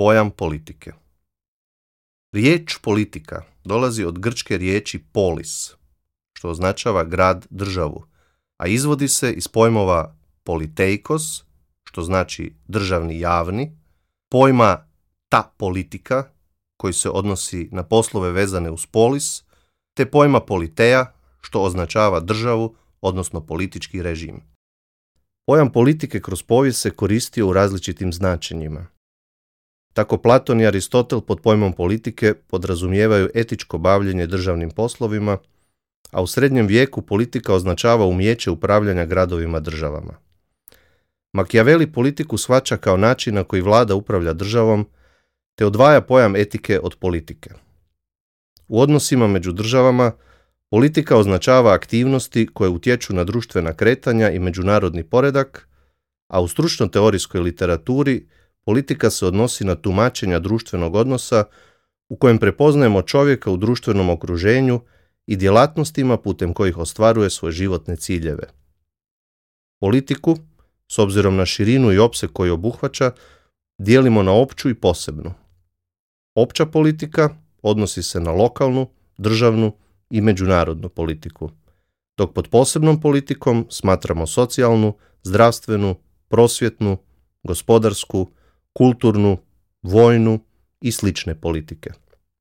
pojam politike. Riječ politika dolazi od grčke riječi polis, što označava grad, državu, a izvodi se iz pojmova politeikos, što znači državni javni, pojma ta politika, koji se odnosi na poslove vezane uz polis, te pojma politeja, što označava državu, odnosno politički režim. Pojam politike kroz povijest se koristio u različitim značenjima. Tako Platon i Aristotel pod pojmom politike podrazumijevaju etičko bavljenje državnim poslovima, a u srednjem vijeku politika označava umijeće upravljanja gradovima državama. Machiavelli politiku shvaća kao način na koji vlada upravlja državom, te odvaja pojam etike od politike. U odnosima među državama, politika označava aktivnosti koje utječu na društvena kretanja i međunarodni poredak, a u stručno-teorijskoj literaturi politika se odnosi na tumačenja društvenog odnosa u kojem prepoznajemo čovjeka u društvenom okruženju i djelatnostima putem kojih ostvaruje svoje životne ciljeve. Politiku, s obzirom na širinu i opseg koji obuhvaća, dijelimo na opću i posebnu. Opća politika odnosi se na lokalnu, državnu i međunarodnu politiku, dok pod posebnom politikom smatramo socijalnu, zdravstvenu, prosvjetnu, gospodarsku, kulturnu, vojnu i slične politike.